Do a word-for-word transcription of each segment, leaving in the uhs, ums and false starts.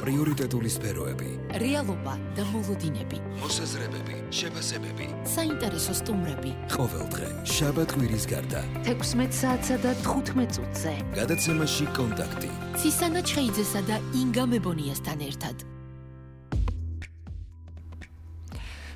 პრიორიტეტული სფეროები, რეალობა და მოლოდინები, მოსაზრებები, შეფასებები, საინტერესო სტუმრები. ყოველდღე შაბათ-კვირის გარდა თექვსმეტ საათსა და თხუთმეტ წუთზე. გადაცემაში კონტაქტი. ცისანა ჩხეიძესა და ინგა მებონიასთან ერთად.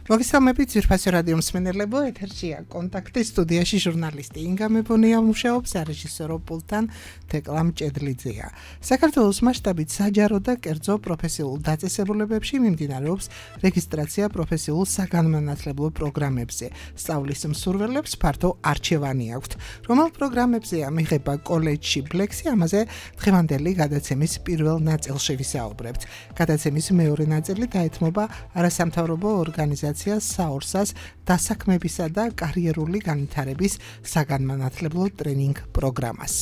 მოგესალმებით ძვირფასი რადიო მსმენელებო, ეთერშია კონტაქტი, სტუდიაში ჟურნალისტი ინგა მებონია მუშაობს, რეჟისორო პულტთან თეკლა მჭედლიძეა. საქართველოს მასშტაბით საჯარო და კერძო პროფესიულ დაწესებულებებში მიმდინარეობს რეგისტრაცია პროფესიულ საგანმანათლებლო პროგრამებზე. სწავლის მსურველებს ფართო არჩევანი აქვთ. რომელ პროგრამებზეა მიღება კოლეჯში ბლექსი, ამაზე დღევანდელი გადაცემის პირველ ნაწილში ვისაუბრებთ. გადაცემის მეორე ნაწილი დაეთმობა არასამთავრობო ორგანიზაციას საორსას დასაქმებისა და კარიერული განვითარების საგანმანათლებლო ტრენინგ პროგრამას.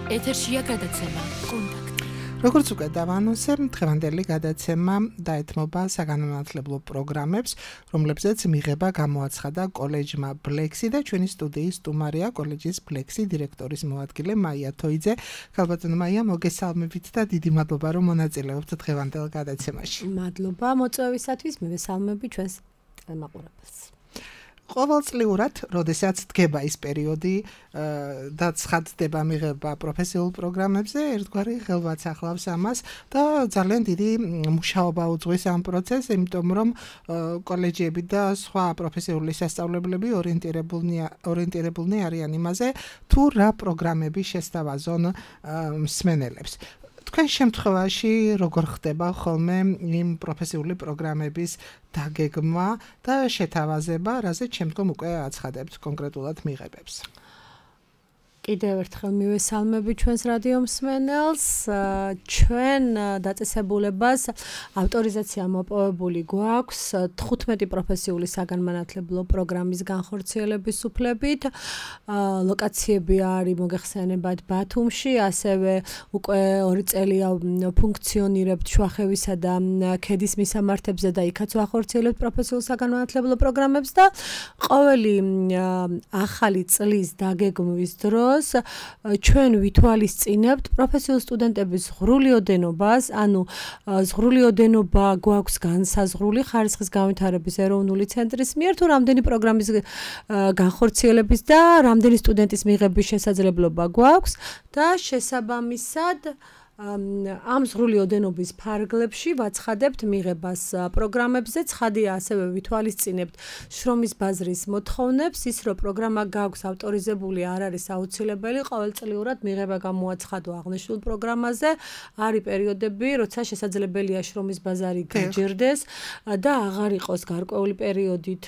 ეთერშია გადაცემა კონტაქტი. როგორც უკვე დავანონსე, დღევანდელი გადაცემა დაეთმობა საგანმანათლებლო პროგრამებს, რომლებზეც მიღება გამოაცხადა კოლეჯმა ბლექსი და ჩვენი სტუდიის სტუმარია კოლეჯის ბლექსი დირექტორის მოადგილე მაია თოიძე. ქალბატონო მაია, მოგესალმებით და დიდი მადლობა, რომ მონაწილეობთ დღევანდელ გადაცემაში. მადლობა მოწვევისათვის, მივესალმები ჩვენს მაყურებელს. ყოველწლიურად, როდესაც დგება ის პერიოდი და ცხადდება მიღება პროფესიულ პროგრამებზე, ერთგვარი ხელვაც ახლავს ამას და ძალიან დიდი მუშაობა უძღვის ამ პროცესს, იმიტომ რომ კოლეჯები და სხვა პროფესიული სასწავლებლები ორიენტირებულნი არიან იმაზე, თუ რა პროგრამები შესთავაზონ მსმენელებს. თქვენ შემთხვევაში როგორ ხდება ხოლმე იმ პროფესიული პროგრამების დაგეგმა და შეთავაზება, რაზეც შემდგომ უკვე აცხადებთ კონკრეტულად მიღებებს? კიდევ ერთხელ მივესალმები ჩვენს რადიო მსმენელს. ჩვენ დაწესებულებას ავტორიზაცია მოპოვებული გვაქვს თხუთმეტი პროფესიული საგანმანათლებლო პროგრამის განხორციელების უფლებით. ლოკაციები არის მოგეხსენებათ ბათუმში, ასევე უკვე ორი წელია ფუნქციონირებთ შუახევისა და ქედის მისამართებზე და იქაც ვახორციელებთ პროფესიულ საგანმანათლებლო პროგრამებს და ყოველი ახალი წლის დაგეგმვის დროს ჩვენ ვითვალისწინებთ პროფესიულ სტუდენტების ღრული ოდენობას, ანუ ღრული ოდენობა გვაქვს განსაზღვრული ხარისხის განვითარების ეროვნული ცენტრის მიერ, თუ რამდენი პროგრამის განხორციელების და რამდენი სტუდენტის მიღების შესაძლებლობა გვაქვს და შესაბამისად ამ ღრული ოდენობის ფარგლებში ვაცხადებთ მიღებას პროგრამებზე. ცხადია, ასევე ვითვალისწინებთ შრომის ბაზრის მოთხოვნებს, ის რომ პროგრამა გაქვს ავტორიზებული არ არის აუცილებელი, ყოველწლიურად მიღება გამოაცხადო აღნიშნულ პროგრამაზე. არის პერიოდები, როცა შესაძლებელია შრომის ბაზარი გაჯერდეს და აღარ იყოს გარკვეული პერიოდით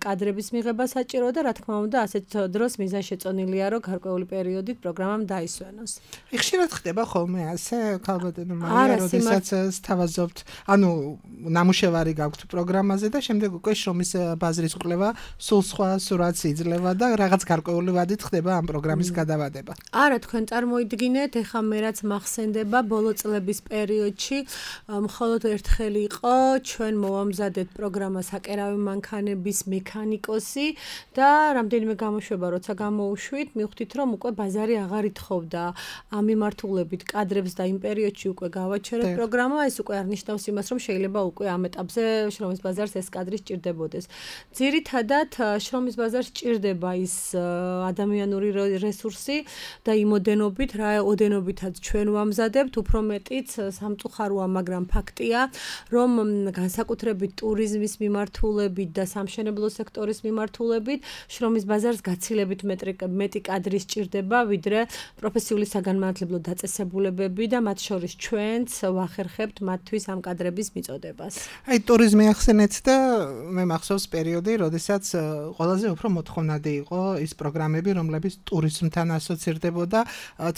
კადრების მიღება საჭირო და რა თქმა უნდა, ასეთ დროს მიზანშეწონილია, რომ გარკვეული პერიოდით პროგრამამ დაისვენოს. ხშირად ხდება ხოლმე ასე ქალბატონო მაია, როდესაც სთავაზობთ, ანუ ნამუშევარი გაქვთ პროგრამაზე და შემდეგ უკვე შრომის ბაზრის კვლევა სულ სხვა სურათს იძლევა და რაღაც გარკვეული ვადით ხდება ამ პროგრამის გადავადება. არა, თქვენ წარმოიდგინეთ, ეხლა მე რაც მახსენდება, ბოლო წლების პერიოდში მხოლოდ ერთხელ იყო ჩვენ მოვამზადეთ პროგრამა საკერავი მანქანების მექანიკოსი და რამდენიმე გამოშვება როცა გამოუშვით, მივხვდით, რომ უკვე ბაზარი აღარ ითხოვდა ამ მიმართულებით კადრებს და იმ პერიოდში უკვე გავაჩერეთ პროგრამა, ეს უკვე არ ნიშნავს იმას, რომ შეიძლება უკვე ამ ეტაპზე შრომის ბაზარს ეს კადრი სჭირდებოდეს. ძირითადად შრომის ბაზარს სჭირდება ის ადამიანური რესურსი და იმ ოდენობით, რა ოდენობითაც ჩვენ ვამზადებთ, უფრო მეტიც სამწუხაროა, მაგრამ ფაქტია, რომ განსაკუთრებით ტურიზმის მიმართულებით და სამშენებლო სექტორის მიმართულებით შრომის ბაზარს გაცილებით მეტი კადრი სჭირდება, ვიდრე პროფესიული საგანმანათლებლო დაწესებულებები და მათ შორის ჩვენც ვახერხებთ მათთვის ამ კადრების მიწოდებას. აი ტურიზმი ახსენეთ და მე მახსოვს პერიოდი, როდესაც ყველაზე უფრო მოთხოვნადი იყო ის პროგრამები, რომლებიც ტურიზმთან ასოცირდებოდა.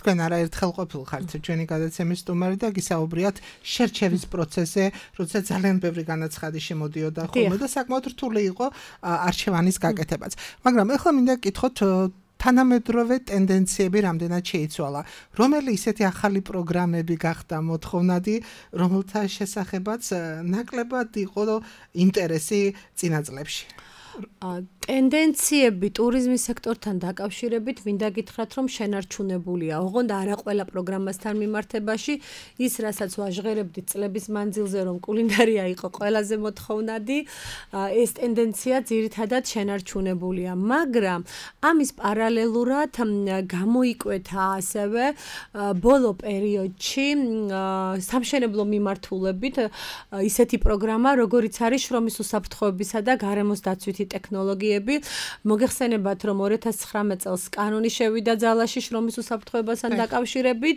თქვენ არაერთხელ ყოფილხართ ჩვენი გადაცემის სტუმარი და გისაუბრიათ შერჩევის პროცესზე, როდესაც ძალიან ბევრი განაცხადი შემოდიოდა ხოლმე და საკმაოდ რთული იყო არჩევანის გაკეთებაც. მაგრამ ეხლა მინდა გკითხოთ თანამედროვე ტენდენციები რამდენად შეიცვალა, რომელი ისეთი ახალი პროგრამები გახდა მოთხოვნადი, რომელთა შესახებაც ნაკლებად იყო ინტერესი წინა წლებში? ტენდენციები ტურიზმის სექტორთან დაკავშირებით მინდა გითხრათ, რომ შენარჩუნებულია. ოღონდ არა ყველა პროგრამასთან მიმართებაში ის, რასაც ვაჟღერებდით წლების მანძილზე, რომ კულინარია იყო ყველაზე მოთხოვნადი, ეს ტენდენცია ძირითადად შენარჩუნებულია, მაგრამ ამის პარალელურად გამოიკვეთა ასევე ბოლო პერიოდში სამშენებლო მიმართულებით ისეთი პროგრამა, როგორიც არის შრომის უსაფრთხოებისა და გარემოს დაცვითი ტექნოლოგიები. მოგეხსენებათ, რომ ორი ათას ცხრამეტ წელს კანონი შევიდა ძალაში შრომის უსაფრთხოებასთან დაკავშირებით,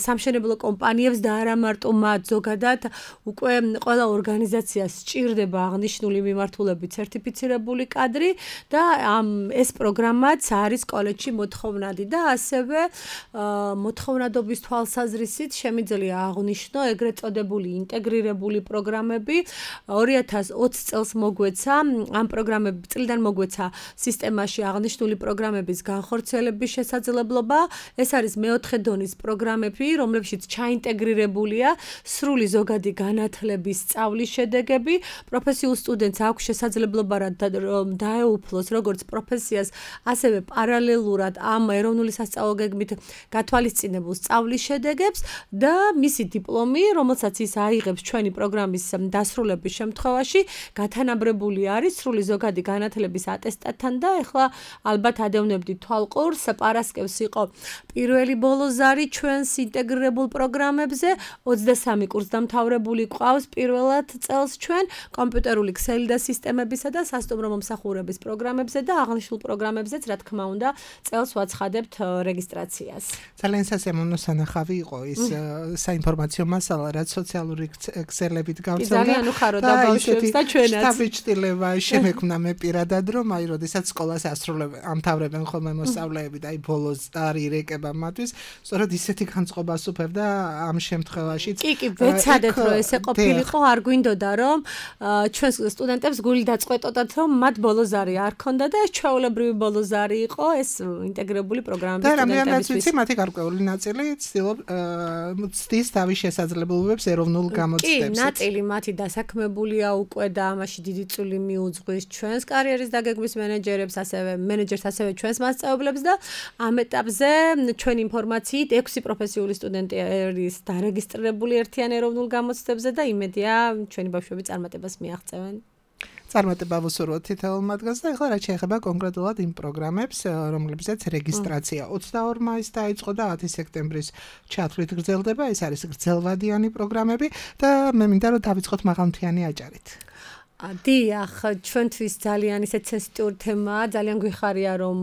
სამშენებლო კომპანიებს და არა მარტო მათ, ზოგადად უკვე ყველა ორგანიზაციას სჭირდება აღნიშნული მიმართულებით სერტიფიცირებული კადრი და ამ ეს პროგრამაც არის კოლეჯში მოთხოვნადი და ასევე მოთხოვნადობის თვალსაზრისით შემიძლია აღვნიშნო ეგრეთ წოდებული ინტეგრირებული პროგრამები. ორი ათას ოცი წელს მოგვეცა ამ პროგრამების წლიდან მოგვეცა სისტემაში აღნიშნული პროგრამების განხორციელების შესაძლებლობა. ეს არის მეოთხე დონის პროგრამები, რომლებშიც ჩაინტეგრირებულია სრული ზოგადი განათლების სწავლის შედეგები. პროფესიულ სტუდენტს აქვს შესაძლებლობა რომ დაეუფლოს როგორც პროფესიას, ასევე პარალელურად ამ ეროვნული სასწავლო გეგმით გათვალისწინებულ სწავლის შედეგებს და მისი დიპლომი, რომელსაც ის აიღებს ჩვენი პროგრამის დასრულების შემთხვევაში, გათანაბრებული არის სრული ზოგადი განათლების ატესტატთან და ეხლა ალბათ ადევნებდით თვალყურს, პარასკევს იყო პირველი ბოლოზარი ჩვენს ინტეგრირებულ პროგრამებზე, ოცდასამი კურსდამთავრებული ყავს პირველად წელს ჩვენ კომპიუტერული ქსელი და სისტემებისა და სასტუმრო მომსახურების პროგრამებზე და აღნიშნულ პროგრამებზეც, რა თქმა უნდა, წელს ვაცხადებთ რეგისტრაციას. ძალიან სასიამოვნო სანახავი იყო ის საინფორმაციო მასალა, რაც სოციალური ქსელებით გავრცელდა. ძალიან უხაროდა ბავშვებს და ჩვენაც. შთაბეჭდილება შემექმნა მე პირადად, რომ აი როდესაც სკოლას ასრულებენ, ამთავრებენ ხოლმე მოსწავლეები და აი ბოლოს არი ირეკება მათთვის, სწორედ ისეთი განწყობას უფევდა ამ შემთხვევაშიც. კი, კი, ვეცადეთ, რომ ესე ყოფილიყო, არ გვინდოდა, რომ ჩვენ სტუდენტებს გული დაწყვეტოდათ, რომ მათ ბოლოზარი არ ქონდა და ეს ჩვეულებრივი ბოლოზარი იყო, ეს ინტეგრირებული პროგრამების სტუდენტებისთვის. და რამდენიც ვიცი, მათი გარკვეული ნაწილი ცდილობს თავის შესაძლებლობებს ეროვნულ გამოცდებს. კი, ნაწილი მათი დასაქმებულია უკვე და ამაში დიდი წვლილი მიუძღვის ჩვენს კარიერის დაგეგმვის მენეჯერებს, ასევე მენეჯერს, ასევე ჩვენს მასწავლებლებს და ამ ეტაპზე ჩვენი ინფორმაციით ექვსი პროფესიული სტუდენტი არის დარეგისტრირებული ერთიან ეროვნულ გამოცდებზე და იმედია ჩვენი ბავშვები წარმატებას მიაღწევენ. წარმატება ვუსურვოთ თითოეულ მათგანს და ახლა რაც შეეხება კონკრეტულად იმ პროგრამებს, რომლებზეც რეგისტრაცია ოცდაორ მაისს დაიწყო და ათი სექტემბრის ჩათვლით გრძელდება. ეს არის გრძელვადიანი პროგრამები და მე მინდა რომ დავიწყოთ მაღალმთიანი აჭარით. დიახ, ჩვენთვის ძალიან ისე სენსიტიური თემაა, ძალიან გვიხარია რომ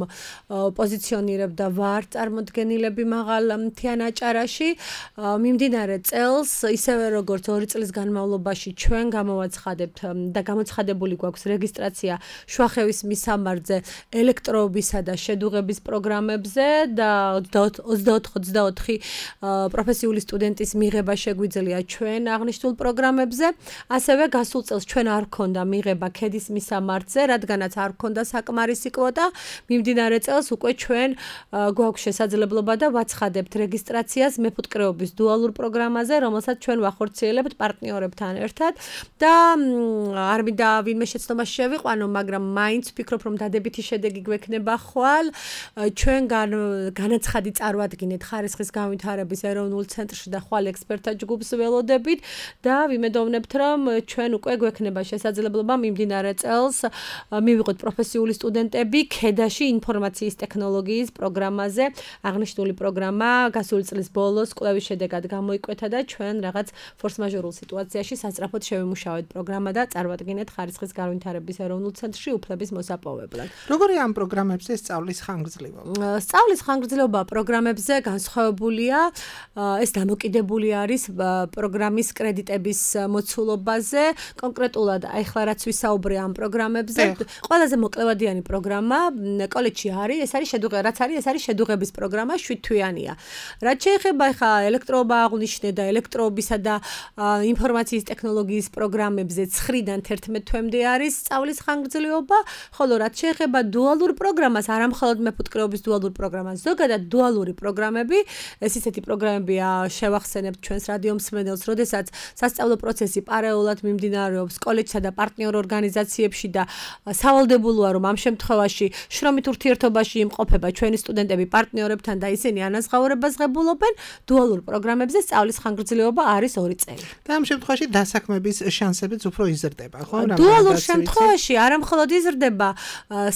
პოზიციონირებდა ვარ წარმოდგენილები მაღალ მთიან აჭარაში. მიმდინარე წელს, ისევე როგორც ორი წლის განმავლობაში ჩვენ გამოვაცხადებთ და გამოცხადებული გვაქვს რეგისტრაცია შუახევის მისამართზე ელექტროობისა და შედუღების პროგრამებზე და ოცდაოთხ ოცდაოთხი პროფესიული სტუდენტის მიღება შეგვიძლია ჩვენ აღნიშნულ პროგრამებზე. ასევე გასულ წელს ჩვენ არ და მიღება ქედის მისამართზე, რადგანაც არ ქონდა საკმარისი კვოტა, მიმდინარე წელს უკვე ჩვენ გვაქვს შესაძლებლობა და ვაცხადებთ რეგისტრაციას მეფუტკრეობის დუალურ პროგრამაზე, რომელსაც ჩვენ ვახორციელებთ პარტნიორებთან ერთად და არ მინდა ვინმე შეცდომაში შევიყვანო, მაგრამ მაინც ვფიქრობ, რომ დადებითი შედეგი გვექნება ხვალ. ჩვენ განაცხადი წარმოადგინეთ ხარისხის განვითარების ეროვნულ ცენტრში და ხვალ ექსპერტთა ჯგუფს ველოდებით და ვიმედოვნებთ, რომ ჩვენ უკვე გვექნება შესაძლებლობა შესაძლებლობა მიმდინარე წელს მივიღოთ პროფესიული სტუდენტები ქედაში ინფორმაციის ტექნოლოგიის პროგრამაზე. აღნიშნული პროგრამა გასული წლის ბოლოს კვლევის შედეგად გამოიკვეთა და ჩვენ რაღაც ფორს-მაჟორულ სიტუაციაში სასწრაფოდ შევიმუშავეთ პროგრამა და წარმოადგინეთ ხარისხის განვითარების ეროვნულ ცენტრში უფლების მოსაპოვებლად. როგორია ამ პროგრამებზე სწავლის ხანგრძლივობა? სწავლის ხანგრძლივობა პროგრამებზე განსხვავებულია. ეს დამოკიდებული არის პროგრამის კრედიტების მოცულობაზე. კონკრეტულად ახლა რაც ვისაუბრე ამ პროგრამებზე, ყველაზე მოკლევადიანი პროგრამა კოლეჯში არის, ეს არის შედუღება, რაც არის, ეს არის შედუღების პროგრამა, შვიდ თვიანია. რაც შეეხება ახლა ელექტროობა აღვნიშნე და ელექტროობისა და ინფორმაციის ტექნოლოგიის პროგრამებზე ცხრიდან თერთმეტ თვემდე არის სწავლის ხანგრძლივობა, ხოლო რაც შეეხება დუალურ პროგრამას, არა მხოლოდ მეფუტკრეობის დუალურ პროგრამას, ზოგადად დუალური პროგრამები, ეს ისეთი პროგრამებია, შევახსენებთ ჩვენს რადიო მსმენელს, როდესაც სასწავლო პროცესი პარალელურად მიმდინარეობს კოლეჯსა და პარტნიორ ორგანიზაციებში და სავალდებულოა რომ ამ შემთხვევაში შრომით ურთიერთობაში იმყოფება ჩვენი სტუდენტები პარტნიორებთან და ისინი ანაზღაურებას ღებულობენ დუალურ პროგრამებზე სწავლის ხანგრძლივობა არის ორი წელი. და ამ შემთხვევაში დასაქმების შანსებიც უფრო იზრდება, ხო? დუალურ შემთხვევაში არა მხოლოდ იზრდება,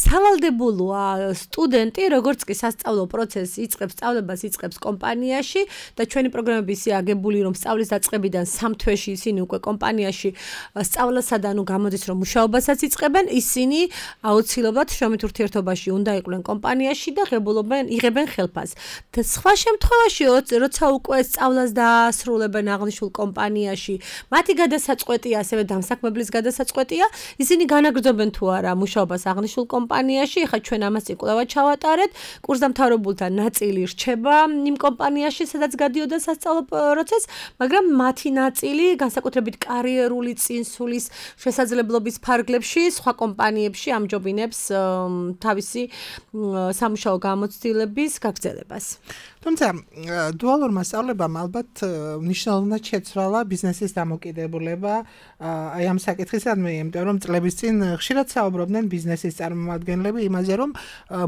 სავალდებულოა სტუდენტი, როგორც კი სასწავლო პროცესი იწყებს, სწავლებას იწყებს კომპანიაში და ჩვენი პროგრამები ისე აგებული, რომ სწავლის დაწყებიდან სამ თვეში ისინი უკვე კომპანიაში სწავლასა და ანუ გამოდის, რომ მუშაობასაც იწყებენ, ისინი აუცილებლად შრომით ურთიერთობაში უნდა იყვნენ კომპანიაში და ღებულობენ, იღებენ ხელფასს. და სხვა შემთხვევაში, როცა უკვე სწავლას დაასრულებენ აღნიშნულ კომპანიაში, მათი გადასაწყვეტია, ასევე დამსაქმებლის გადასაწყვეტია, ისინი განაგრძობენ თუ არა მუშაობას აღნიშნულ კომპანიაში. ეხლა ჩვენ ამას კვლავ ჩავატარეთ. კურსდამთავრებულთა ნაწილი რჩება იმ კომპანიაში, სადაც გადიოდა სასწავლო პროცესს, მაგრამ მათი ნაწილი განსაკუთრებით კარიერული წინსulis შესაძლებლობის ფარგლებში სხვა კომპანიებში ამჯობინებს თავისი სამუშაო გამოცდილების გაგრძელებას. თუმცა დუალურმა სწავლებამ ალბათ მნიშვნელოვნად შეცვალა ბიზნესის დამოკიდებულება აი ამ საკითხისადმი, იმიტომ რომ წლების წინ ხშირად საუბრობდნენ ბიზნესის წარმომადგენლები იმაზე, რომ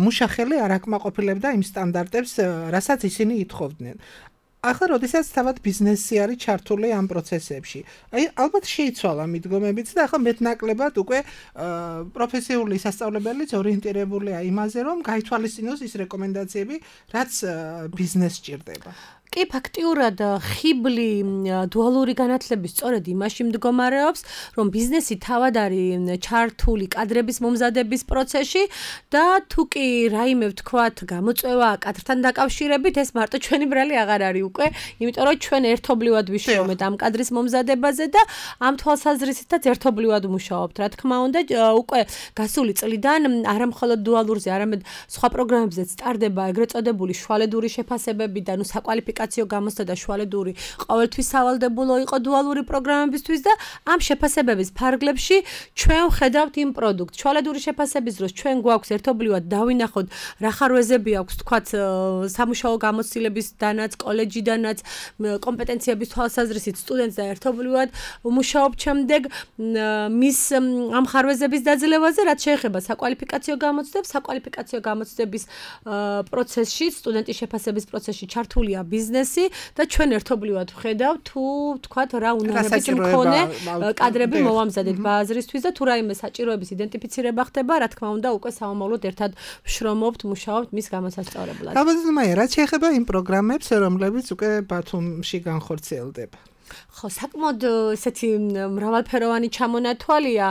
მუშახელი არ აკმაყოფილებდა იმ სტანდარტებს, რასაც ისინი ითხოვდნენ. ახლა როდესაც თავად ბიზნესი არის ჩართული ამ პროცესებში. აი ალბათ შეიცვალა მიდგომებიც და ახლა მეტნაკლებად უკვე პროფესიული სასწავლებელიც ორიენტირებულია იმაზე, რომ გაითვალისწინოს ის რეკომენდაციები, რაც ბიზნესს სჭირდება. კი ფაქტიურად ხიბლი დუალური განათლების სწორედ იმაში მდგომარეობს, რომ ბიზნესი თავად არის ჩართული კადრების მომზადების პროცესში და თუ კი რაიმე ვთქვათ, გამოწვევა კადრთან დაკავშირებით, ეს მარტო ჩვენი ბრალი აღარ არის უკვე, იმიტომ რომ ჩვენ ერთობლივად ვიშრომეთ ამ კადრის მომზადებაზე და ამ თვალსაზრისითაც ერთობლივად მუშაობთ. რა თქმა უნდა, უკვე გასული წლიდან არა მხოლოდ დუალურზე, არამედ სხვა პროგრამებზეც სტარდება ეგრეთ წოდებული შუალედური შეფასებები და ნუ საკვალიფიკაციო გამოსთა და შუალედური ყოველთვის სავალდებულო იყო დუალური პროგრამებისთვის და ამ შეფასებების ფარგლებში ჩვენ ვხედავთ იმ პროდუქტს. შუალედური შეფასების დროს ჩვენ გვაქვს ერთობლივად დავინახოთ რა ხარვეზები აქვს, თქვათ, სამუშაო გამოცდილებისდანაც, კოლეჯიდანაც, კომპეტენციების თვალსაზრისით სტუდენტს და ერთობლივად მუშაობ შემდეგ მის ამ ხარვეზების დაძლევაზე, რაც შეეხება საკვალიფიკაციო გამოცდებს, საკვალიფიკაციო გამოცდების პროცესში, სტუდენტის შეფასების პროცესში ჩართულია ბიზნესი და ჩვენ ერთობლივად ვხედავთ თუ თქვათ რა უნარების მქონე კადრები მოვამზადეთ ბაზრისთვის და თუ რაიმე საჭიროების იდენტიფიცირება ხდება, რა თქმა უნდა, უკვე სამომავლოდ ერთად ვშრომობთ, მუშაობთ მის გამოსასწორებლად. ალბათ, რაც შეეხება იმ პროგრამებს, რომლებიც უკვე ბათუმში განხორციელდება. ხო, საკმაოდ ესეთი მრავალფეროვანი ჩამონათვალია.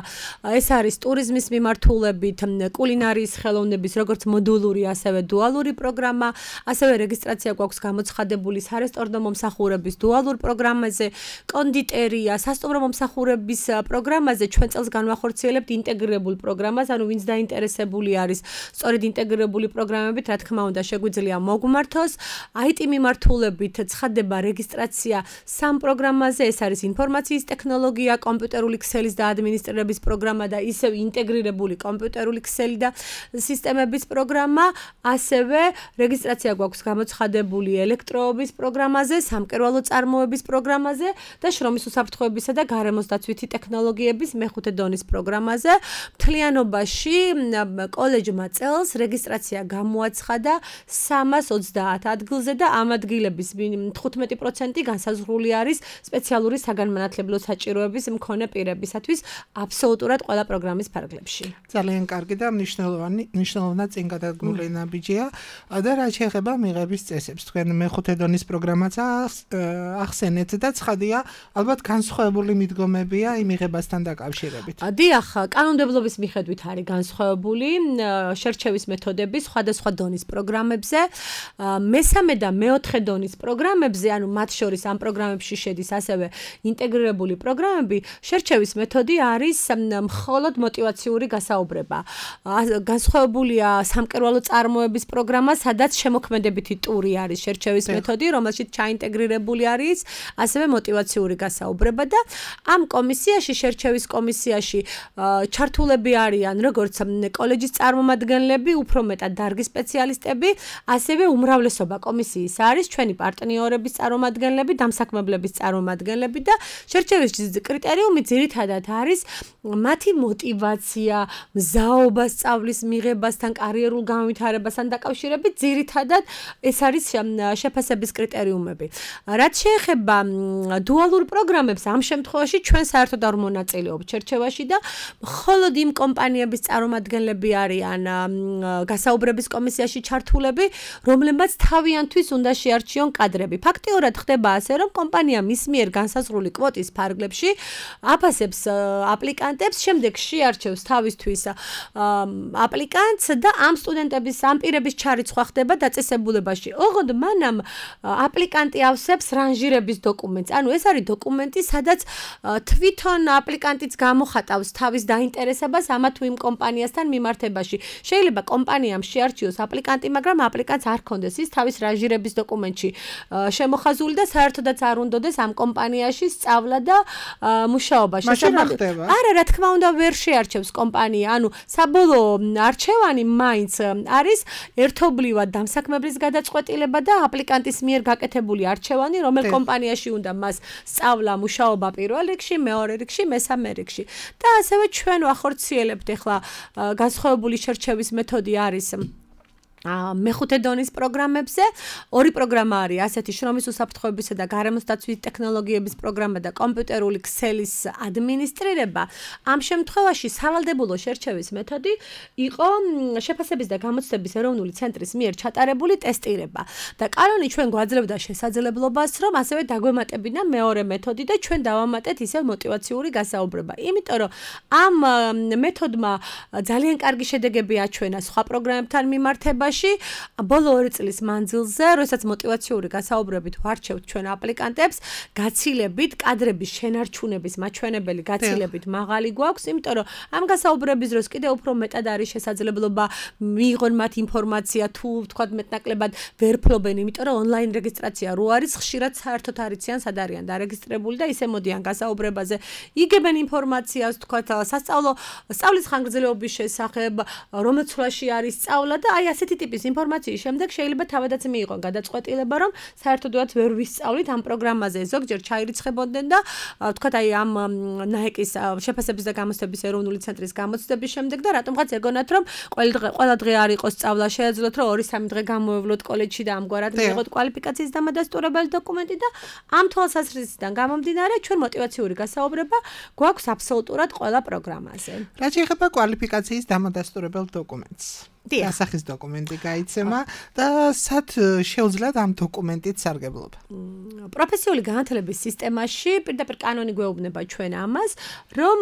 ეს არის ტურიზმის მიმართულებით, კულინარიის ხელოვნების, როგორც მოდულური, ასევე დუალური პროგრამა, ასევე რეგისტრაცია გვაქვს გამოცხადებული სარესტორნო მომსახურების დუალურ პროგრამაზე, კონდიტერია, სასტუმრო მომსახურების პროგრამაზე, ჩვენ წელს განვახორციელებთ ინტეგრირებულ პროგრამას, ანუ ვინც დაინტერესებული არის სწორედ ინტეგრირებული პროგრამებით, რა თქმა უნდა, შეგვიძლია მოგმართოს. აი ტი მიმართულებით ცხადდება რეგისტრაცია სამ პროგრამაზე, ეს არის ინფორმაციის ტექნოლოგია, კომპიუტერული ქსელის და ადმინისტრირების პროგრამა და ისევ ინტეგრირებული კომპიუტერული ქსელი და სისტემების პროგრამა, ასევე რეგისტრაცია გვაქვს გამოცხადებული ელექტროობის პროგრამაზე, სამკერვალო წარმოების პროგრამაზე და შრომის უსაფრთხოებისა და გარემოს დაცვითი ტექნოლოგიების მეხუთე დონის პროგრამაზე. მთლიანობაში კოლეჯმა წელს რეგისტრაცია გამოაცხადა სამას ოცდაათ ადგილზე და ამ ადგილების თხუთმეტი პროცენტი განსაზღვრული არის სპეციალური საგანმანათლებლო საჭიროების მქონე პირებისათვის აბსოლუტურად ყველა პროგრამის ფარგლებში. ძალიან კარგი და მნიშვნელოვანი, მნიშვნელოვნად წინ გადადგმული ნაბიჯია და რაც შეეხება მიღების წესებს. თქვენ მეხუთე დონის პროგრამაც ახსენეთ და ცხადია, ალბათ განსხვავებული მიდგომებია იმ მიღებასთან დაკავშირებით. დიახ, კანონმდებლობის მიხედვით არის განსხვავებული შერჩევის მეთოდები სხვადასხვა დონის პროგრამებზე. მესამე და მეოთხე დონის პროგრამებზე, ანუ მათ შორის ამ პროგრამებში შედის ასევე ინტეგრირებული პროგრამები, შერჩევის მეთოდი არის მხოლოდ მოტივაციური გასაუბრება. განსხვავებულია სამკერვალო წარმოების პროგრამა, სადაც შემოქმედებითი ტური არის შერჩევის მეთოდი, რომელშიც ჩაინტეგრირებული არის ასევე მოტივაციური გასაუბრება და ამ კომისიაში, შერჩევის კომისიაში ჩართულები არიან როგორც კოლეჯის წარმომადგენლები, უფრო მეტად დარგის სპეციალისტები, ასევე უმრავლესობა კომისიის არის ჩვენი პარტნიორების წარმომადგენლები, დამსაქმებლების წარმომადგენლები და შერჩევის კრიტერიუმი ძირითადად არის მათი мотиваცია, მზაობა სწავლის მიღებასთან, კარიერულ განვითარებასთან დაკავშირებით, ძირითადად ეს არის შეფასების კრიტერიუმები. რაც შეეხება დუალურ პროგრამებს, ამ შემთხვევაში ჩვენ საერთოდ არ მონაწილეობთ შერჩევაში და მხოლოდ იმ კომპანიების წარმომადგენლები არიან გასაუბრების კომისიაში ჩართულები, რომლებმაც თავიანთვის უნდა შეარჩიონ კადრები. ფაქტიურად ხდება ასე, რომ კომპანია მის მიერ განსაზღვრული კვოტის ფარგლებში აფასებს აპლიკანტებს, შემდეგ შეარჩევს თავისთვის აპლიკანტს და ამ სტუდენტების, ამ პირების ჩარიცხვა ხდება დაწესებულებაში. ოღონდ მანამ აპლიკანტი ავსებს რანჟირების დოკუმენტს. ანუ ეს არის დოკუმენტი, სადაც თვითონ აპლიკანტიც გამოხატავს თავის დაინტერესებას ამა თუ იმ კომპანიასთან მიმართებაში. შეიძლება კომპანიამ შეარჩიოს აპლიკანტი, მაგრამ აპლიკანტს არ ქონდეს ის თავის რანჟირების დოკუმენტში შემოხაზული და საერთოდაც არ უნდოდეს ამ კომპანიაში სწავლა და მუშაობა. არა, რა თქმა უნდა, ვერ შეარჩევს კომპანია. ანუ საბოლოო არჩევანი მაინც არის ერთობლივად დამსაქმებლის გადაწყვეტილება და აპლიკანტის მიერ გაკეთებული არჩევანი, რომელ კომპანიაში უნდა მას სწავლა, მუშაობა პირველ რიგში, მეორე რიგში, მესამე რიგში. და ასევე ჩვენ ვახორციელებთ ახლა განსხვავებული შერჩევის მეთოდი არის მეხუთე დონის პროგრამებზე. ორი პროგრამა არის ასეთი შრომის უსაფრთხოებისა და გარემოს დაცვის ტექნოლოგიების პროგრამა და კომპიუტერული ქსელის ადმინისტრირება. ამ შემთხვევაში სავალდებულო შერჩევის მეთოდი იყო შეფასების და გამოცდების ეროვნული ცენტრის მიერ ჩატარებული ტესტირება. და კანონი ჩვენ გვაძლევდა შესაძლებლობას, რომ ასევე დაგვემატებინა მეორე მეთოდი და ჩვენ დავამატეთ ისევ мотиваციური გასაუბრება. იმიტომ რომ ამ მეთოდმა ძალიან კარგი შედეგები აჩვენა სხვა პროგრამებთან მიმართებაში. ბოლო ორი წლის მანძილზე, როდესაც мотиваციური გასაუბრებით ვარჩევთ ჩვენ აპლიკანტებს, გაცილებით კადრების შენარჩუნების მაჩვენებელი გაცილებით მაღალი გვაქვს, იმიტომ რომ ამ გასაუბრების დროს კიდევ უფრო მეტად არის შესაძლებლობა მიიღონ მათ ინფორმაცია, თუ ვთქვათ მეტნაკლებად ვერ ფლობენ, იმიტომ რომ ონლაინ რეგისტრაცია რო არის, ხშირად საერთოდ არ იციან სად არიან დარეგისტრებული და ისე მოდიან გასაუბრებაზე, იგებენ ინფორმაციას, ვთქვათ, სასწავლო სწავლის ხანგრძლივობის შესახებ, რომელ ცვლაში არის სწავლა და აი ასეთი ტიპის ინფორმაციის შემდეგ შეიძლება თავადაც მიიღონ გადაწყვეტილება, რომ საერთოდაც ვერ ვისწავლით ამ პროგრამაზე, ზოგჯერ ჩაირიცხებოდნენ და ვთქვათ, აი ამ ნაეკის შეფასების და გამოცდების ეროვნული ცენტრის გამოცდების შემდეგ და რატომღაც ეგონათ, რომ ყველა დღე ყველა დღე არ იყოს სწავლა, შეეძლოთ, რომ ორი სამი დღე გამოვევლოთ კოლეჯში და ამგვარად მიიღოთ კვალიფიკაციის დამადასტურებელი დოკუმენტი და ამ თვალსაზრისიდან გამომდინარე, ჩვენ мотиваციური გასაუბრება გვაქვს აბსოლუტურად ყველა პროგრამაზე. რაც შეეხება კვალიფიკაციის დამადასტურებელ დოკუმენტს. ასახის დოკუმენტი გაიცემა და სად შეუძლიათ ამ დოკუმენტით სარგებლობა? პროფესიული განათლების სისტემაში პირდაპირ კანონი გვეუბნება ჩვენ ამას, რომ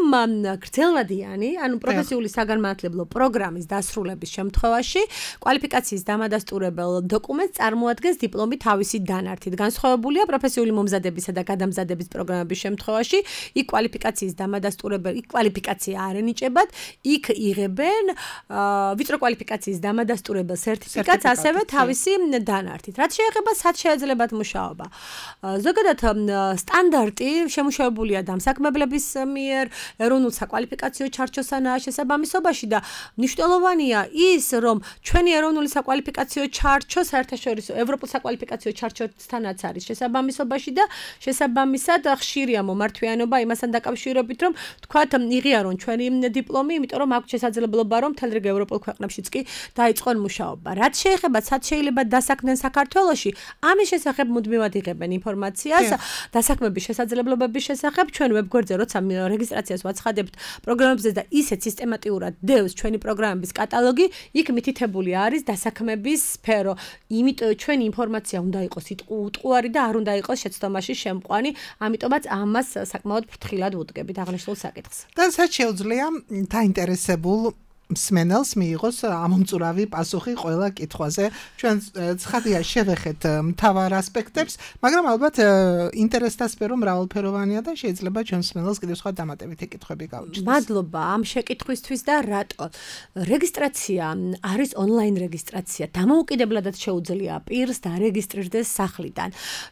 გრძელვადიანი, ანუ პროფესიული საგანმანათლებლო პროგრამის დასრულების შემთხვევაში კვალიფიკაციის დამადასტურებელ დოკუმენტს წარმოადგენს დიპლომი თავისი დანართით. განსხვავებულია პროფესიული მომზადებისა და გადამზადების პროგრამების შემთხვევაში, იქ კვალიფიკაციის დამადასტურებელ, იქ კვალიფიკაცია არ ენიჭებათ, იქ იღებენ ვიწრო კვალიფიკაციის დამადასტურებელ სერტიფიკატს, ასევე თავისი დანართით. რაც შეეხება სად შეეძლებათ მუშაობა. ზოგადად სტანდარტი შემუშავებულია დამსაქმებლების მიერ ეროვნულ საკვალიფიკაციო ჩარჩოსანაა შესაბამისობაში და მნიშვნელოვანია ის, რომ ჩვენი ეროვნული საკვალიფიკაციო ჩარჩო საერთაშორისო ევროპულ საკვალიფიკაციო ჩარჩოსთანაც არის შესაბამისობაში და შესაბამისად ხშირია მომართვიანობა იმასთან დაკავშირებით, რომ თქვათ იღიარონ ჩვენი დიპლომი, იმიტომ რომ აქვს შესაძლებლობა, რომ მთელ რიგ ევროპულ ქვეყნებშიც კი დაიწყონ მუშაობა. რაც შეეხება სად შეიძლება დასაქმდნენ საქართველოში, ამის შესახებ მუდმივად იღებენ ინფორმაციას, დასაქმების შესაძლებლობების შესახებ ჩვენ ვებგვერდზე როცა რეგისტრაციას ვაცხადებთ პროგრამებზე და ისეთ სისტემატიურად დევს ჩვენი პროგრამების კატალოგი, იქ მითითებული არის დასაქმების სფერო. იმიტომ ჩვენი ინფორმაცია უნდა იყოს უტყუარი და არ უნდა იყოს შეცდომაში შემყვანი, ამიტომაც ამას საკმაოდ ფრთხილად ვუდგებით აღნიშნულ საკითხს. და სად შეუძლია დაინტერესებულ მსმენელს მიიღოს ამომწურავი პასუხი ყველა კითხვაზე. ჩვენ ცხადია შევეხეთ მთავარ ასპექტებს, მაგრამ ალბათ ინტერესთა სფერო მრავალფეროვანია და შეიძლება ჩვენ მსმენელს კიდევ სხვა დამატებითი კითხვები გავუჩნდეს. მადლობა ამ შეკითხვისთვის და რატო? რეგისტრაცია არის ონლაინ რეგისტრაცია. დამოუკიდებლადაც შეუძლია პირს დარეგისტრირდეს სახლიდან.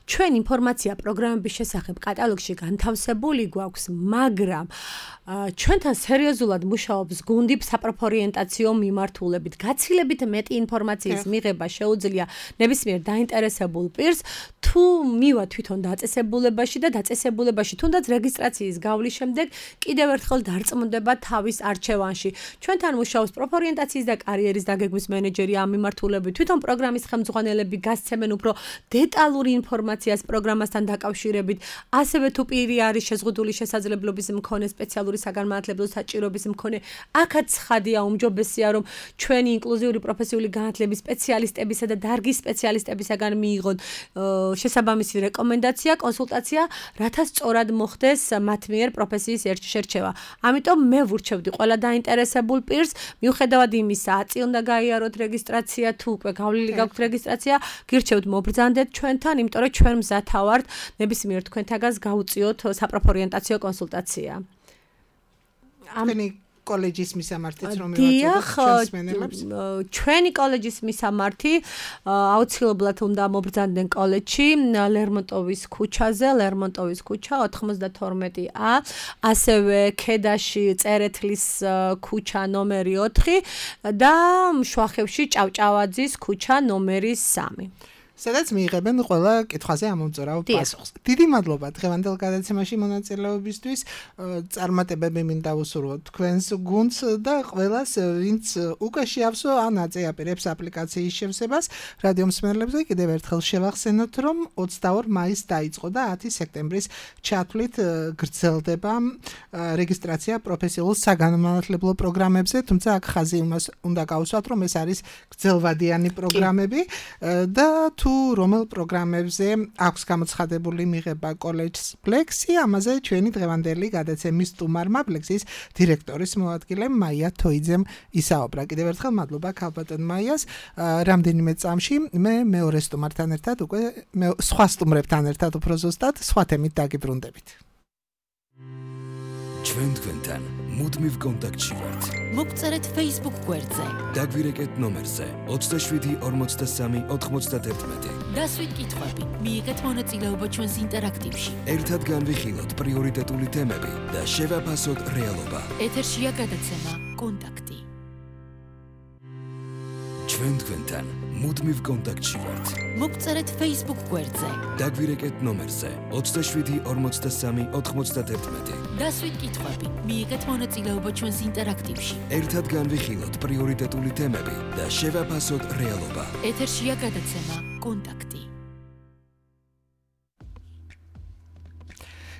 ჩვენ ინფორმაცია პროგრამების შესახებ კატალოგში განთავსებული გვაქვს, მაგრამ ჩვენთან სერიოზულად მუშაობს გუნდი საპროფესიო საპროფორიენტაციო მიმართულებით. გაცილებით მეტი ინფორმაციის მიღება შეუძლია ნებისმიერ დაინტერესებულ პირს თუ მივა თვითონ დაწესებულებაში და დაწესებულებაში თუნდაც რეგისტრაციის გავლის შემდეგ კიდევ ერთხელ დარწმუნდება თავის არჩევანში. ჩვენთან მუშაობს პროფორიენტაციის და კარიერის დაგეგმვის მენეჯერი ამ მიმართულებით. თვითონ პროგრამის ხელმძღვანელები გასცემენ უფრო დეტალური ინფორმაციას პროგრამასთან დაკავშირებით. ასევე თუ პირი არის შეზღუდული შესაძლებლობის მქონე სპეციალური საგანმანათლებლო საჭიროების მქონე, აქაც ცხადია უმჯობესია რომ ჩვენი ინკლუზიური პროფესიული განათლების სპეციალისტებისა და დარგის სპეციალისტებისაგან მიიღოთ შესაბამისი რეკომენდაცია, კონსულტაცია, რათა სწორად მოხდეს მათ მიერ პროფესიის შერჩევა. ამიტომ მე ვურჩევდი ყველა დაინტერესებულ პირს, მიუხედავად იმისა, აწი უნდა გაიაროთ რეგისტრაცია, თუ უკვე გავლილი გაქვთ რეგისტრაცია, გირჩევთ მობრძანდეთ ჩვენთან, იმიტომ რომ ჩვენ მზათა ვართ ნებისმიერ თქვენთაგანს გავუწიოთ საპროფორიენტაციო კონსულტაცია. ამენი კოლეჯის მისამართიც რომ მივაწოდოთ ჩვენს მენელებს. ჩვენი კოლეჯის მისამართი აუცილებლად უნდა მობრძანდნენ კოლეჯში ლერმონტოვის ქუჩაზე, ლერმონტოვის ქუჩა ოთხმოცდათორმეტი ა, ასევე ქედაში წერეთლის ქუჩა ნომერი ოთხი და მშვახევში ჭავჭავაძის ქუჩა ნომერი სამი. სადაც მიიღებენ ყველა კითხვაზე ამომწურავ პასუხს. დიდი მადლობა დღევანდელ გადაცემაში მონაწილეობისთვის. წარმატებები მინდა ვუსურვოთ თქვენს გუნდს და ყველას, ვინც უკვე შეავსო ან აწეაპირებს აპლიკაციის შევსებას. რადიო მსმენელებზე კიდევ ერთხელ შევახსენოთ, რომ ოცდაორ მაისს დაიწყო და ათი სექტემბრის ჩათვლით გრძელდება რეგისტრაცია პროფესიულ საგანმანათლებლო პროგრამებზე, თუმცა აქ ხაზი უნდა გავუსვათ, რომ ეს არის გრძელვადიანი პროგრამები და თუ რომელ პროგრამებზე აქვს გამოცხადებული მიღება კოლეჯს Plexi, ამაზე ჩვენი დღევანდელი გადაცემის სტუმარმა Plexis დირექტორის მოადგილე მაია თოიძემ ისაუბრა. კიდევ ერთხელ მადლობა ქალბატონ მაიას. რამდენიმე წამში მე მეორე სტუმართან ერთად უკვე სხვა სტუმრებთან ერთად უფრო ზუსტად სხვა თემით დაგიბრუნდებით. ჩვენ თქვენთან მუდმივ კონტაქტში ვართ. მოგწერეთ Facebook გვერდზე. დაგვირეკეთ ნომერზე ოცდაშვიდი ორმოცდასამი ოთხმოცდაათი. დასვით კითხვები, მიიღეთ მონაწილეობა ჩვენს ინტერაქტივში. ერთად განვიხილოთ პრიორიტეტული თემები და შევაფასოთ რეალობა. ეთერშია გადაცემა კონტაქტი. ჩვენ თქვენთან მუდმივ კონტაქტში ვართ. მოგწერეთ Facebook გვერდზე. დაგვირეკეთ ნომერზე ოცდაშვიდი ორმოცდასამი ოთხმოცდაათი. დასვით კითხვები, მიიღეთ მონაწილეობა ჩვენს ინტერაქტივში. ერთად განვიხილოთ პრიორიტეტული თემები და შევაფასოთ რეალობა. ეთერშია გადაცემა კონტაქტი.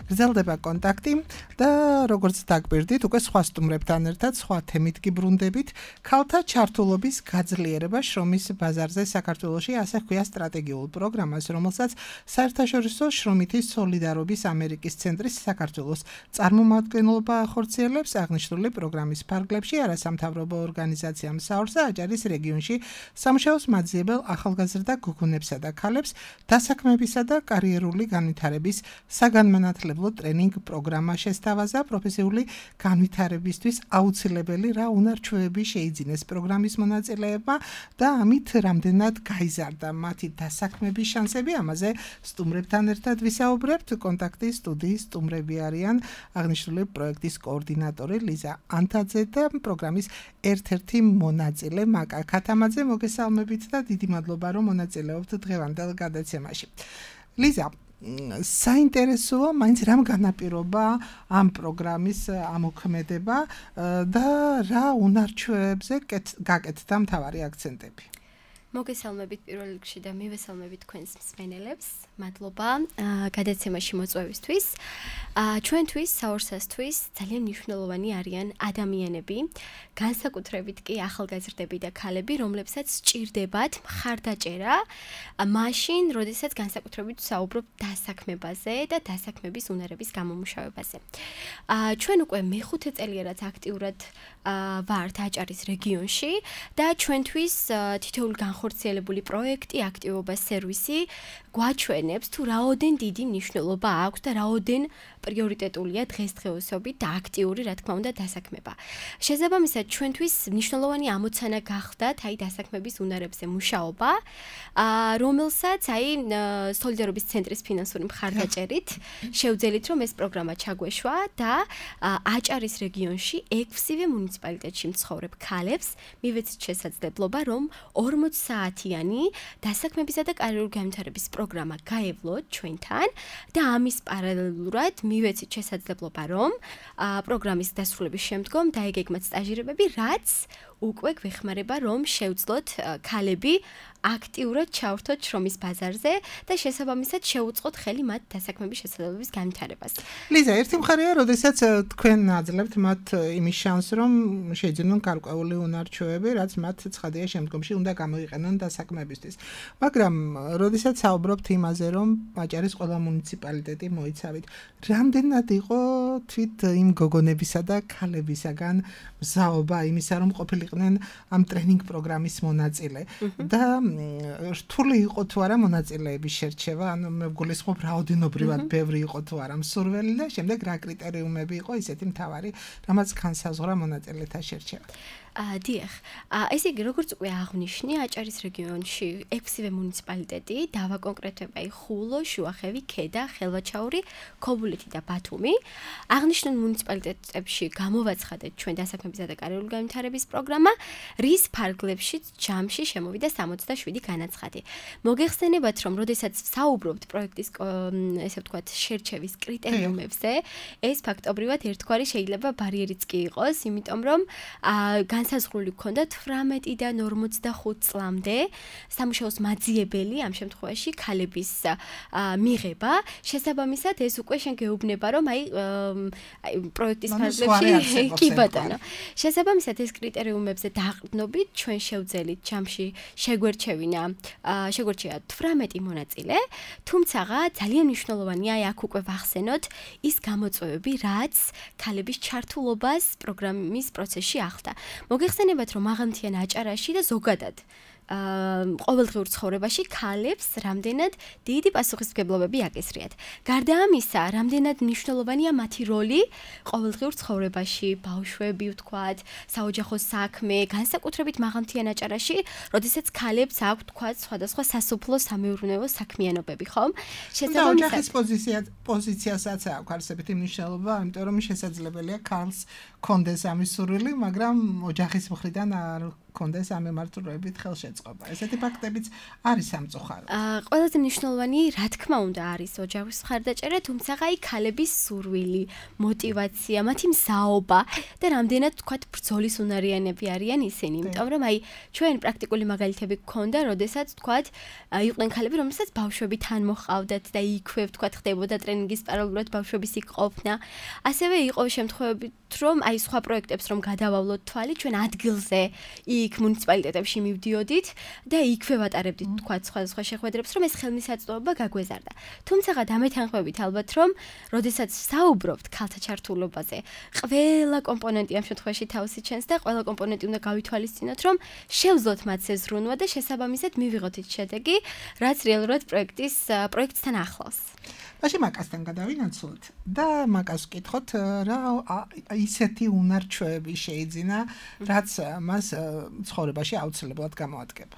გრძელდება კონტაქტი და როგორც დაგბირდით, უკვე სხვა სტუმრებთან ერთად სხვა თემით გიბრუნდებით. ქალთა ჩართულობის გაძლიერება შრომის ბაზარზე საქართველოში, ასე ჰქვია სტრატეგიულ პროგრამას, რომელსაც საერთაშორისო შრომითი სოლიდარობის ამერიკის ცენტრის საქართველოს წარმომადგენლობა ახორციელებს. აღნიშნული პროგრამის ფარგლებში არასამთავრობო ორგანიზაცია მსაურსა აჭარის რეგიონში სამუშაოს მაძიებელ ახალგაზრდა გოგონებსა და ქალებს დასაქმებისა და კარიერული განვითარების საგანმანათლებლო ტრენინგ პროგრამა შესთავაზა. პროფესიული განვითარებისთვის აუცილებელი რა უნარჩვევები შეიძინეს პროგრამის მონაწილეებმა და ამით რამდენად გაიზარდა მათი დასაქმების შანსები. ამაზე სტუმრებთან ერთად ვისაუბრებთ. კონტაქტის სტუდიის სტუმრები არიან აღნიშნული პროექტის კოორდინატორი ლიზა ანთაძე და პროგრამის ერთ-ერთი მონაწილე მაკა ქათამაძე. მოგესალმებით და დიდი მადლობა რომ მონაწილეობთ დღევანდელ გადაცემაში. ლიზა, საინტერესოა მაინც რამ განაპირობა ამ პროგრამის ამოქმედება და რა უნარჩვევებზე გაკეთდა მთავარი აქცენტები. მოგესალმებით პირველ რიგში და მივესალმებით თქვენს მსმენელებს. მადლობა გადაცემაში მოწვევისთვის. ჩვენთვის, საურსასთვის ძალიან მნიშვნელოვანი არიან ადამიანები, განსაკუთრებით კი ახალგაზრდები და ქალები, რომლებსაც სჭირდებათ მხარდაჭერა, მაშინ, როდესაც განსაკუთრებით საუბრობ დასაქმებაზე და დასაქმების უნარების გამომუშავებაზე. ჩვენ უკვე მეხუთე წელია რაც აქტიურად ვართ აჭარის რეგიონში და ჩვენთვის თითოეული განხორციელებული პროექტი, აქტივობა, სერვისი გვაჩვენებს თუ რაოდენ დიდი მნიშვნელობა აქვს და რაოდენ პრიორიტეტულია დღესდღეობით და აქტიური, რა თქმა უნდა, დასაქმება. შესაბამისად, ჩვენთვის მნიშვნელოვანი ამოცანა გახდათ აი დასაქმების უნარებზე მუშაობა, რომელსაც აი სოლიდარობის ცენტრის ფინანსური მხარდაჭერით შევძელით, რომ ეს პროგრამა ჩაგვეშვა და აჭარის რეგიონში ექვსივე მუნიციპალიტეტში მცხოვრებ ქალებს მივეცით შესაძლებლობა, რომ ორმოც საათიანი დასაქმებისა და კარიერული განვითარების პროგრამა გაევლოთ ჩვენთან და ამის პარალელურად მივეცით შესაძლებლობა, რომ პროგრამის დასრულების შემდგომ დაეგეგმათ სტაჟირებები, რაც უკვე გვეხმარება, რომ შევძლოთ ქალები აქტიურად ჩავრთოთ შრომის ბაზარზე და შესაბამისად შეუწყოთ ხელი მათ დასაქმების შესაძლებლობის განვითარებას. ლიზა, ერთი მხარეა, როდესაც თქვენ აძლევთ მათ იმის შანსს, რომ შეიძინონ გარკვეული უნარჩვევები, რაც მათ ცხადია შემდგომში უნდა გამოიყენონ დასაქმებისთვის. მაგრამ როდესაც საუბრობთ იმაზე, რომ აჭარის ყველა მუნიციპალიტეტი მოიცავით, რამდენად იყო თვით იმ გოგონებისა და ქალებისაგან მზაობა იმისა, რომ ყოფილიყვნენ ამ ტრენინგ პროგრამის მონაწილე და რთული იყო თუ არა მონაწილეების შერჩევა, ანუ მე გულისხმობ რაოდენობრივად ბევრი იყო თუ არა მსურველი და შემდეგ რა კრიტერიუმები იყო ისეთი მთავარი, რამაც განსაზღვრა მონაწილეთა შერჩევა. დიახ, ესე იგი, როგორც უკვე აღნიშნე, აჭარის რეგიონში ექვსივე მუნიციპალიტეტი დავაკონკრეტებია ხულო, შუახევი, ქედა, ხელვაჩაური, ქობულეთი და ბათუმი. აღნიშნულ მუნიციპალიტეტებში გამოვაცხადეთ ჩვენ დასაქმებისა და კარიერული განვითარების პროგრამა, რის ფარგლებშიც ჯამში შემოვიდა სამოცდაშვიდი განაცხადი. მოგეხსენებათ, რომ როდესაც საუბრობთ პროექტის ესე ვთქვათ, შერჩევის კრიტერიუმებზე, ეს ფაქტობრივად ერთგვარი შეიძლება ბარიერიც კი იყოს, იმიტომ რომ განსაზღვრული ჰქონდა თვრამეტიდან ორმოცდახუთ წლამდე სამუშაოს მაძიებელი ამ შემთხვევაში ქალების მიღება. შესაბამისად, ეს უკვე შენ გეუბნება, რომ აი პროექტის ფარგლებში კი ბატონო. შესაბამისად, ეს კრიტერიუმებზე დაყრდნობით ჩვენ შევძელით ჯამში შეგვერჩევინა, შეგვერჩია თვრამეტი მონაწილე, თუმცა ძალიან მნიშვნელოვანია აი აქ უკვე ვახსენოთ ის გამოწვევები, რაც ქალების ჩართულობას პროგრამის პროცესში ახლდა. მოგეხსენებათ, რომ მაღალმთიან აჭარაში და ზოგადად ყოველდღიურ ცხოვრებაში ქალებს რამდენად დიდი პასუხისმგებლობები აკისრიათ. გარდა ამისა, რამდენად მნიშვნელოვანია მათი როლი ყოველდღიურ ცხოვრებაში, ბავშვები ვთქვათ, საოჯახო საქმე, განსაკუთრებით მაღალმთიან აჭარაში, როდესაც ქალებს აქვთ ვთქვათ სხვადასხვა სასოფლო სამეურნეო საქმიანობები, ხომ? შესაბამისად, ოჯახის პოზიცია პოზიციასაც აქვს არსებითი მნიშვნელობა, იმიტომ რომ შესაძლებელია ქალს კონდეს ამის სურვილი, მაგრამ ოჯახის მხრიდან არ კონდეს ამ მემართულებით ხელშეწყობა. ესეთი ფაქტებიც არის სამწუხარო. ყველაზე მნიშვნელოვანი, რა თქმა უნდა, არის ოჯახის მხარდაჭერა, თუმცა აი ქალების სურვილი, мотиваცია, მათი მსაობა და რამდენად თქვათ ბრძოლის უნარიანები არიან ისინი, იმიტომ რომ აი ჩვენ პრაქტიკული მაგალითები გქონდა, როდესაც თქვათ იყვნენ ქალები, რომელსაც ბავშვები თან მოჰყავდათ და იქვე თქვათ ხდებოდა ტრენინგის პარალელურად ბავშვების იქ ყოფნა. ასევე იყო შემთხვევები, რომ აი სხვა პროექტებს რომ გადავავლოთ თვალი, ჩვენ ადგილზე იქ მუნიციპალიტეტებში მივდიოდით და იქვე ვატარებდით თქვა სხვადასხვა შეხვედრებს, რომ ეს ხელმისაწვდომობა გაგვეზარდა. თუმცა დამეთანხმებით ალბათ, რომ როდესაც საუბრობთ ქალთა ჩართულობაზე, ყველა კომპონენტი ამ შემთხვევაში თავს იჩენს და ყველა კომპონენტი უნდა გავითვალისწინოთ, რომ შევძლოთ მათ ზრუნვა და შესაბამისად მივიღოთ ის შედეგი, რაც რეალურად პროექტის პროექტთან ახლავს. მაშინ მაკასთან გადავინაცვლოთ და მაკას ვკითხოთ, რა ისეთი უნარჩვევები შეიძინა, რაც მას ცხოვრებაში აუცილებლად გამოადგება.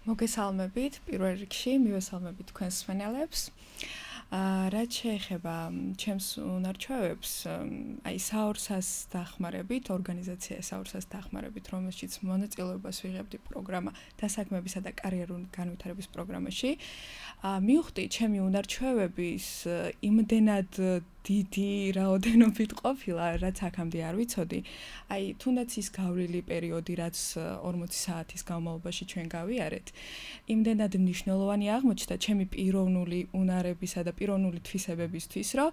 მოგესალმებით, პირველ რიგში მივესალმებით თქვენს მსმენელებს. რაც შეეხება ჩემს უნარჩვევებს, აი საორსას დახმარებით, ორგანიზაცია საორსას დახმარებით, რომელშიც მონაწილეობას ვიღებდი პროგრამა დასაქმებისა და კარიერული განვითარების პროგრამაში, მივხვდი ჩემი უნარჩვევების იმდენად დიდი რაოდენობით ყოფილა, რაც აქამდე არ ვიცოდი. აი, თუნდაც ის გავლილი პერიოდი, რაც ორმოცი საათის განმავლობაში ჩვენ გავიარეთ, იმდენად მნიშვნელოვანი აღმოჩნდა ჩემი პიროვნული უნარებისა და პიროვნული თვისებებისთვის, რომ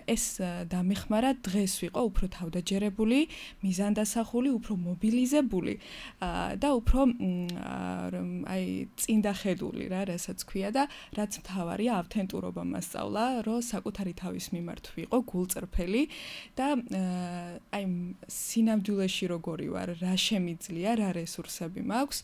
ეს დამეხმარა დღეს ვიყო უფრო თავდაჯერებული, მიზანდასახული, უფრო მობილიზებული და უფრო აი წინდახედული რა, რასაც ქვია და რაც მთავარია ავთენტურობა მასწავლა, რომ საკუთარი თავის მიმართ ვიყო გულწრფელი და აი სინამდვილეში როგორი ვარ, რა შემიძლია, რა რესურსები მაქვს,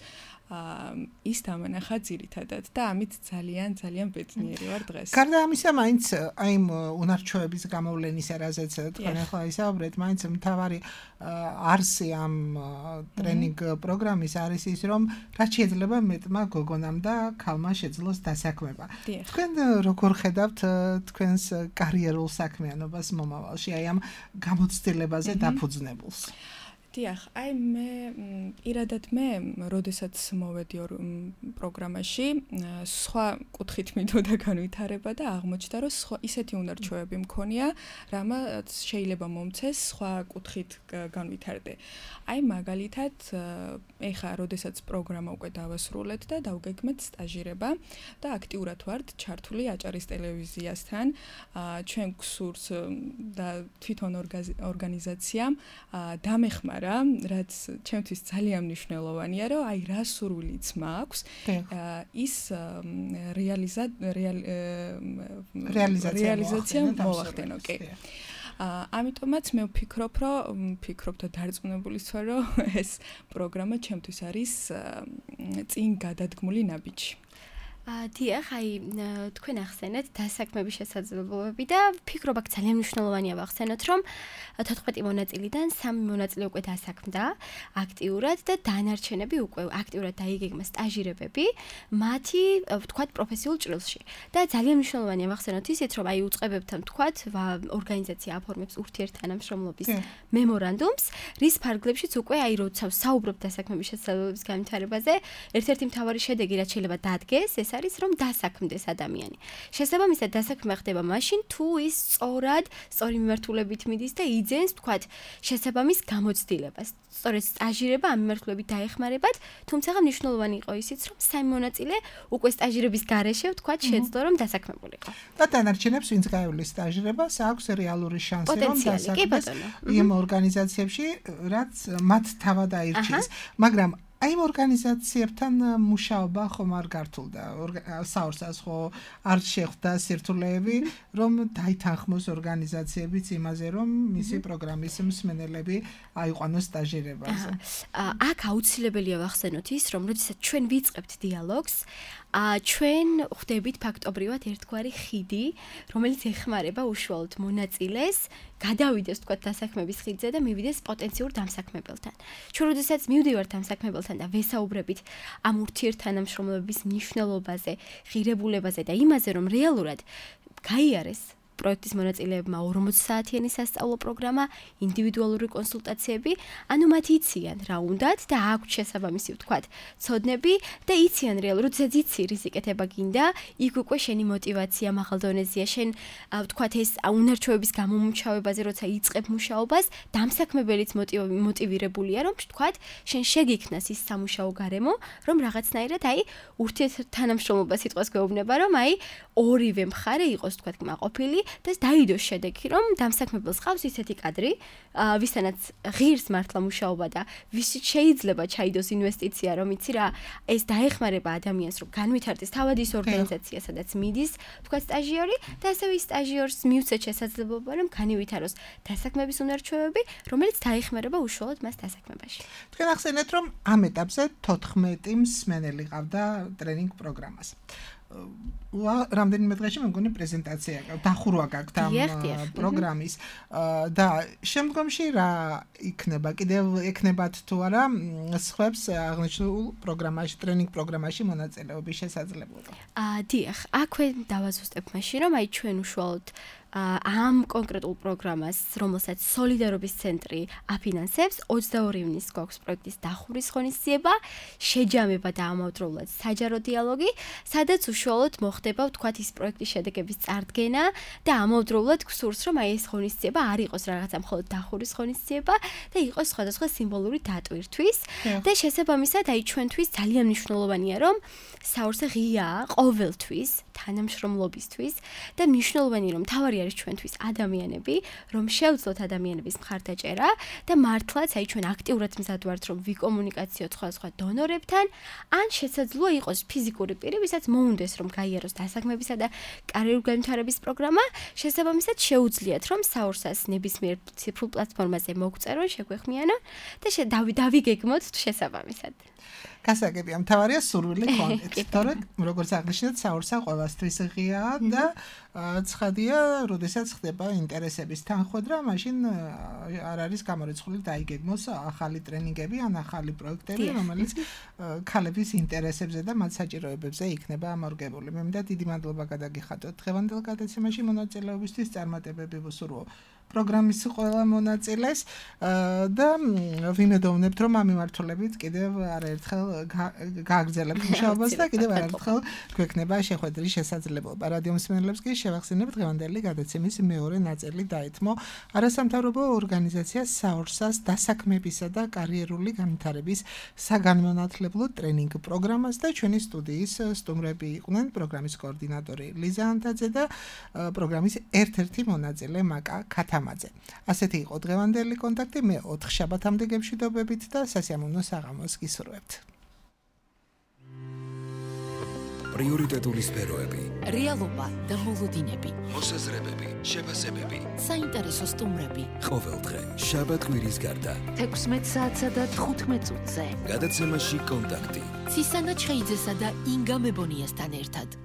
ის დამანახა ძირითადად და ამით ძალიან ძალიან ბედნიერი ვარ დღეს. გარდა ამისა, მაინც აი იმ უნარჩვევების გამოვლენის რაზეც თქვენ ახლა ისაუბრეთ, მაინც მთავარი არსი ამ ტრენინგ პროგრამის არის ის, რომ რაც შეიძლება მეტმა გოგონამ და ქალმა შეძლოს დასაქმება. თქვენ როგორ ხედავთ თქვენს კარიერულ საქმიანობას მომავალში, აი ამ გამოცდილებაზე დაფუძნებულს? დიახ, აი მე პირადად მე, როდესაც მოვედი პროგრამაში, სხვა კუთხით მიდოდა განვითარება და აღმოჩნდა, რომ სხვა ისეთი უნარჩვევები მქონია, რამაც შეიძლება მომცეს სხვა კუთხით განვითარდე. აი მაგალითად, ეხა როდესაც პროგრამა უკვე დავასრულეთ და დავგეგმეთ სტაჟირება და აქტიურად ვართ ჩართული აჭარის ტელევიზიასთან, ჩვენ გსურს და თვითონ ორგანიზაციამ დამეხმარა რაც ჩემთვის ძალიან მნიშვნელოვანია, რომ აი რა სურვილიც მაქვს, ის რეალიზაცია მოვახდენო, კი. ამიტომაც მე ვფიქრობ, რომ ვფიქრობ და დარწმუნებული ვარ, რომ ეს პროგრამა ჩემთვის არის წინ გადადგმული ნაბიჯი. დიახ, აი თქვენ ახსენეთ დასაქმების შესაძლებლობები და ვფიქრობ, აქ ძალიან მნიშვნელოვანია ვახსენოთ, რომ თოთხმეტი მონაწილიდან სამი მონაწილე უკვე დასაქმდა აქტიურად და დანარჩენები უკვე აქტიურად დაიგეგმა სტაჟირებები მათი, ვთქვათ, პროფესიულ ჭრილში. და ძალიან მნიშვნელოვანია ვახსენოთ ისიც, რომ აი უწყებებთან, ვთქვათ, ორგანიზაცია აფორმებს ურთიერთთანამშრომლობის მემორანდუმს, რის ფარგლებშიც უკვე აი როცა საუბრობ დასაქმების შესაძლებლობების განვითარებაზე, ერთ-ერთი მთავარი შედეგი, რაც შეიძლება დადგეს, ეს არის რომ დასაქმდეს ადამიანი. შესაბამისად დასაქმება ხდება მაშინ, თუ ის სწორად, სწორი მიმართულებით მიდის და იძენს, ვთქვათ, შესაბამის გამოცდილებას. სწორედ სტაჟირება ამ მიმართულებით დაეხმარებათ, თუმცა მნიშვნელოვანი იყო ისიც, რომ სამი მონაწილე უკვე სტაჟირების გარეშე, ვთქვათ, შეძლო რომ დასაქმებულიყო. და დანარჩენებს ვინც გაივლის სტაჟირებას, აქვს რეალური შანსი რომ დასაქმდეს იმ ორგანიზაციებში, რაც მათ თავად აირჩიეს. მაგრამ აი იმ ორგანიზაციებთან მუშაობა ხომ არ გართულდა, საორსას ხო არ შეხვდა სირთულეები, რომ დაითანხმოს ორგანიზაციებიც იმაზე, რომ მისი პროგრამის მსმენელები აიყვანოს სტაჟირებაზე. აქ აუცილებელია ვახსენოთ ის, რომ როდესაც ჩვენ ვიწყებთ დიალოგს, ჩვენ ხვდებით ფაქტობრივად ერთგვარი ხიდი, რომელიც ეხმარება უშუალოდ მონაწილეს გადავიდეს, თქვათ, დასაქმების ხიდზე და მივიდეს პოტენციურ დამსაქმებელთან. ჩვენ როდესაც მივდივართ დამსაქმებელთან და ვესაუბრებით ამ ურთიერთთანამშრომლობის მნიშვნელობაზე, ღირებულებაზე და იმაზე, რომ რეალურად გაიარეს პროექტის მონაწილეებმა ორმოცი საათიანი სასწავლო პროგრამა, ინდივიდუალური კონსულტაციები, ანუ მათ იციან რა უნდათ და აქვთ შესაბამისი, ვთქვათ, ცოდნები და იციან რეალურად, როდესაც იცი რიზიკეთება გინდა, იქ უკვე შენი мотиваცია მაღალ დონეზეა, შენ ვთქვათ ეს უნარჩვევების გამომჩავებაზე, როცა იწყებ მუშაობას, დამსაქმებელიც მოტივირებულია, რომ ვთქვათ, შენ შეგიქმნას ის სამუშაო გარემო, რომ რაღაცნაირად აი ურთიერთთანამშრომლობა სიტყვას გვეუბნება, რომ აი ორივე მხარე იყოს, ვთქვათ, კმაყოფილი და დაიდოს შედეგი, რომ დამსაქმებელს ყავს ისეთი კადრი, ვისთანაც ღირს მართლა მუშაობა და ვისიც შეიძლება ჩაიდოს ინვესტიცია, რომ იცი რა, ეს დაეხმარება ადამიანს, რომ განვითარდეს თავად ის ორგანიზაცია, სადაც მიდის, თქვა სტაჟიორი და ასევე ის სტაჟიორს მიუცეთ შესაძლებლობა, რომ განივითაროს დასაქმების უნარჩვევები, რომელიც დაეხმარება უშუალოდ მას დასაქმებაში. თქვენ ახსენეთ, რომ ამ ეტაპზე თოთხმეტი მსმენელი ყავდა ტრენინგ პროგრამას. რამდენიმე დღეში მე მგონი პრეზენტაცია დახურვა გაქვთ ამ პროგრამის და შემდგომში რა იქნება, კიდევ ეკნებათ თუ არა სხვებს აღნიშნულ პროგრამაში, ტრენინგ პროგრამაში მონაწილეობის შესაძლებლობა? აა დიახ, აქვე დავაზუსტებ მაშინ, რომ აი ჩვენ უშუალოდ ამ კონკრეტულ პროგრამას, რომელსაც სოლიდარობის ცენტრი აფინანსებს, ოცდაორი ივნისს გვაქვს პროექტის დახურვის ღონისძიება, შეჯამება და ამავდროულად საჯარო დიალოგი, სადაც უშუალოდ მოხდება, ვთქვათ, ის პროექტის შედეგების წარდგენა და ამავდროულად გსურს, რომ აი ეს ღონისძიება არ იყოს რაღაცა მხოლოდ დახურვის ღონისძიება და იყოს სხვადასხვა სიმბოლური დატვირთვის და შესაბამისად აი ჩვენთვის ძალიან მნიშვნელოვანია, რომ საორსა ღიაა ყოველთვის თანამშრომლობისთვის და მნიშვნელოვანია, რომ თავარი არის ჩვენთვის ადამიანები, რომ შევძლოთ ადამიანების მხარდაჭერა და მართლაც აი ჩვენ აქტიურად მზად ვართ, რომ ვიკომუნიკაციოთ სხვადასხვა დონორებთან, ან შესაძლოა იყოს ფიზიკური პირი, ვისაც მოუნდეს, რომ გაიაროს დასაქმებისა და კარიერული განვითარების პროგრამა, შესაბამისად შეუძლიათ, რომ საორსას ნებისმიერ ციფრულ პლატფორმაზე მოგწერონ, შეგვეხმიანონ და დავიგეგმოთ შესაბამისად. გასაგებია, მთავარია სურვილი კონტექსტი. თორე როგორც აღნიშნეთ, საურსა ყველასთვის ღიაა და ცხადია, როდესაც ხდება ინტერესების თანხმდრა, მაშინ არ არის გამორიცხული დაიგეგმოს ახალი ტრენინგები ან ახალი პროექტები, რომელიც ქალების ინტერესებზე და მათ საჭიროებებზე იქნება ამორგებული. მე მინდა დიდი მადლობა გადაგიხადოთ დღევანდელ გადაცემაში მონაწილეობისთვის, წარმატებები ვუსურვო პროგრამის ყველა მონაწილეს და ვიმედოვნებთ, რომ ამ მიმართულებით კიდევ არაერთხელ გააგრძელებთ მუშაობას და კიდევ არაერთხელ გვექნება შეხვედრის შესაძლებლობა. რადიო მსმენელებს კი შევახსენებ დღევანდელი გადაცემის მეორე ნაწილი დაეთმო არასამთავრობო ორგანიზაცია საურსას დასაქმებისა და კარიერული განვითარების საგანმანათლებლო ტრენინგ პროგრამას და ჩვენი სტუდიის სტუმრები იყვნენ პროგრამის კოორდინატორი ლიზა ანტაძე და პროგრამის ერთ-ერთი მონაწილე მაკა ქათამაძე. ასეთი იყო დღევანდელი კონტაქტი. მე ოთხ შაბათამდე გემშვიდობებით და სასიამოვნო საღამოს გისურვებთ. პრიორიტეტული სფეროები, რეალობა და მოლოდინები, მოსაზრებები, შეფასებები, საინტერესო სტუმრები. ყოველდღე შაბათ-კვირის გარდა თექვსმეტ საათსა და თხუთმეტ წუთზე. გადაცემაში კონტაქტი. ცისანა ჩხეიძესა და ინგა მებონიასთან ერთად.